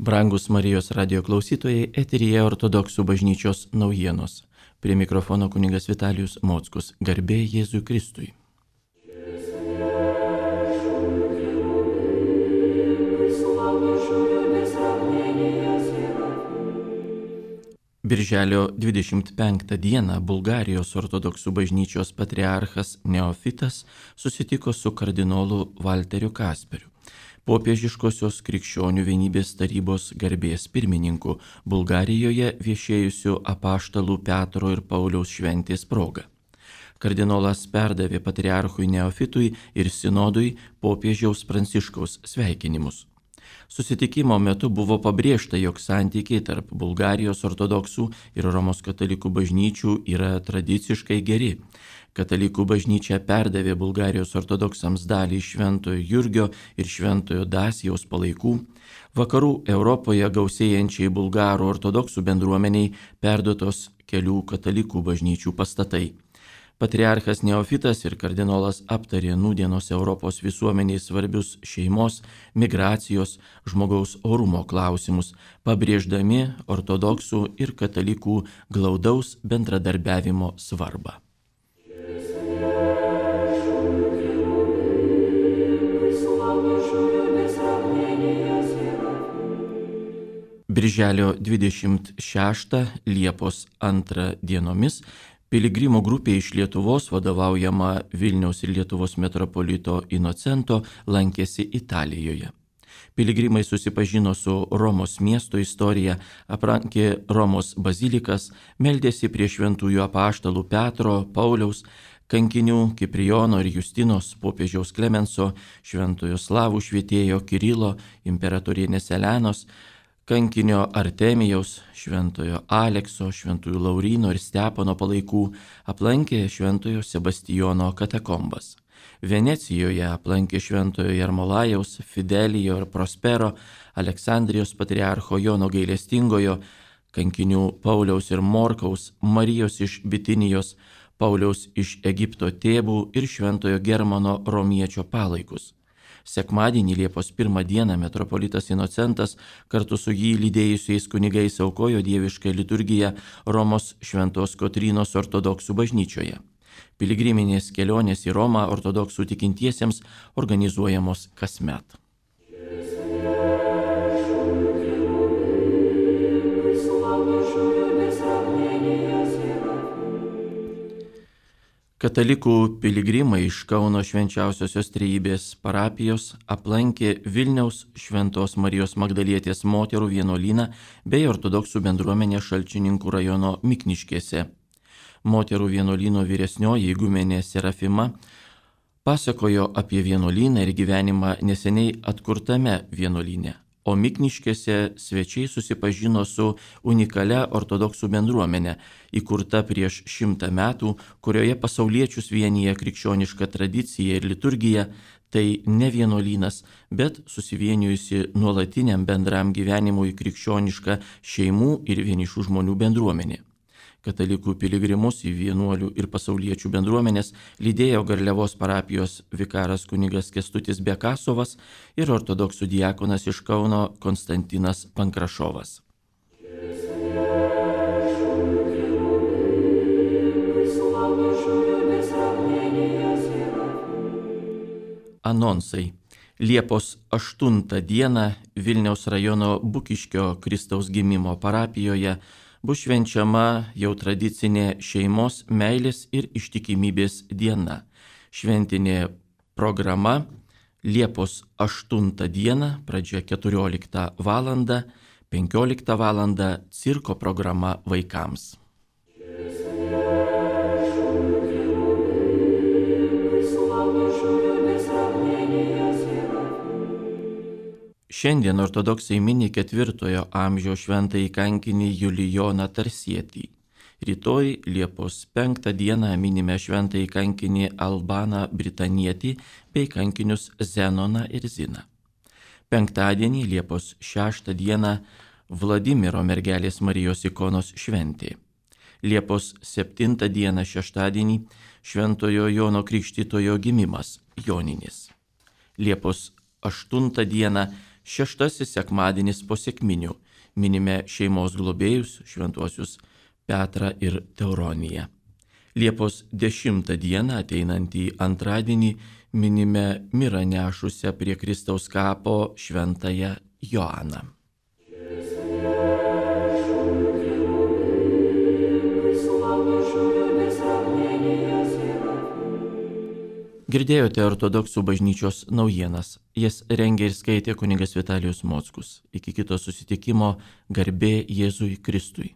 Brangus Marijos radio klausytojai, eteryje Ortodoksų bažnyčios naujienos. Prie mikrofono kunigas Vitalijus Mockus. Garbė Jėzui Kristui. Birželio 25 dieną Bulgarijos Ortodoksų bažnyčios patriarchas Neofitas susitiko su kardinolu Valteriu Kasperiu, popiežiškosios krikščionių vienybės tarybos garbės pirmininku, Bulgarijoje viešėjusiu apaštalų Petro ir Pauliaus šventės proga. Kardinolas perdavė patriarchui Neofitui ir sinodui popiežiaus Pranciškaus sveikinimus. Susitikimo metu buvo pabrėžta, jog santykiai tarp Bulgarijos ortodoksų ir Romos katalikų bažnyčių yra tradiciškai geri. Katalikų bažnyčia perdavė Bulgarijos ortodoksams dalį Šventojo Jurgio ir Šventojo Dasijaus palaikų. Vakarų Europoje gausėjančiai bulgarų ortodoksų bendruomeniai perduotos kelių katalikų bažnyčių pastatai. Patriarchas Neofitas ir kardinolas aptarė nūdienos Europos visuomeniai svarbius šeimos, migracijos, žmogaus orumo klausimus, pabrėždami ortodoksų ir katalikų glaudaus bendradarbiavimo svarbą. Birželio 26 Liepos 2 dienomis piligrimų grupė iš Lietuvos, vadovaujama Vilniaus ir Lietuvos metropolito Inocento, lankėsi Italijoje. Piligrimai susipažino su Romos miesto istorija, aplankė Romos bazilikas, meldėsi prie šventųjų apaštalų Petro, Pauliaus, kankinių Kiprijono ir Justinos, popiežiaus Klemenso, šventojo slavų švietėjo Kirilo, imperatorienės Elenos, kankinio Artemijaus, šventojo Alekso, šventųjų Lauryno ir Stepono palaikų, aplankė šventojo Sebastijono katakombas. Venecijoje aplankė šventojo Jarmolajaus, Fidelijo ir Prospero, Aleksandrijos patriarcho Jono Gailestingojo, kankinių Pauliaus ir Morkaus, Marijos iš Bitinijos, Pauliaus iš Egipto tėvų ir šventojo Germano romiečio palaikus. Sekmadienį Liepos 1 dieną metropolitas Inocentas kartu su jį lydėjusiais kunigais aukojo dievišką liturgiją Romos Šventos Kotrynos ortodoksų bažnyčioje. Piligriminės kelionės į Romą ortodoksų tikintiesiems organizuojamos kasmet. Katalikų piligrimai iš Kauno Švenčiausiosios Trejybės parapijos aplankė Vilniaus Šventos Marijos Magdalietės moterų vienuolyną bei ortodoksų bendruomenę Šalčininkų rajono Mikniškėse. Moterų vienuolyno vyresnioji igumenė Serafima pasakojo apie vienuolyną ir gyvenimą neseniai atkurtame vienuolyne, o Mikniškėse svečiai susipažino su unikalia ortodoksų bendruomenė, įkurta prieš 100 metų, kurioje pasauliečius vienyje krikščioniška tradicija ir liturgija, tai ne vienuolynas, bet susivienijusi nuolatiniam bendram gyvenimui krikščioniška šeimų ir vienišų žmonių bendruomenė. Katalikų piligrimus į vienuolių ir pasauliečių bendruomenės lydėjo Garliavos parapijos vikaras kunigas Kęstutis Bekasovas ir ortodoksų diakonas iš Kauno Konstantinas Pankrašovas. Anonsai. Liepos 8 dieną Vilniaus rajono Bukiškio Kristaus gimimo parapijoje bus švenčiama jau tradicinė šeimos, meilės ir ištikimybės diena. Šventinė programa Liepos 8 dieną, pradžia 14 val. 15 val. Cirko programa vaikams. Šiandien ortodoksai mini 4 amžiaus šventąjį kankinį Julijoną Tarsietį. Rytoj Liepos 5 dieną minime šventąjį kankinį Albaną Britanietį bei kankinius Zenoną ir Ziną. Penktadienį Liepos 6 dieną Vladimiro mergelės Marijos ikonos šventė. Liepos 7 dieną šeštadienį šventojo Jono Krikštytojo gimimas Joninis. Liepos 8 dieną Šeštasis sekmadienis po sekminių. Minime šeimos globėjus, šventuosius Petrą ir Teuroniją. Liepos 10 dieną, ateinantį antradienį, minime mirą nešusią prie Kristaus kapo šventąją Joaną. Girdėjote ortodoksų bažnyčios naujienas. Jas rengė ir skaitė kunigas Vitalijus Mockus. Iki kito susitikimo, garbė Jėzui Kristui.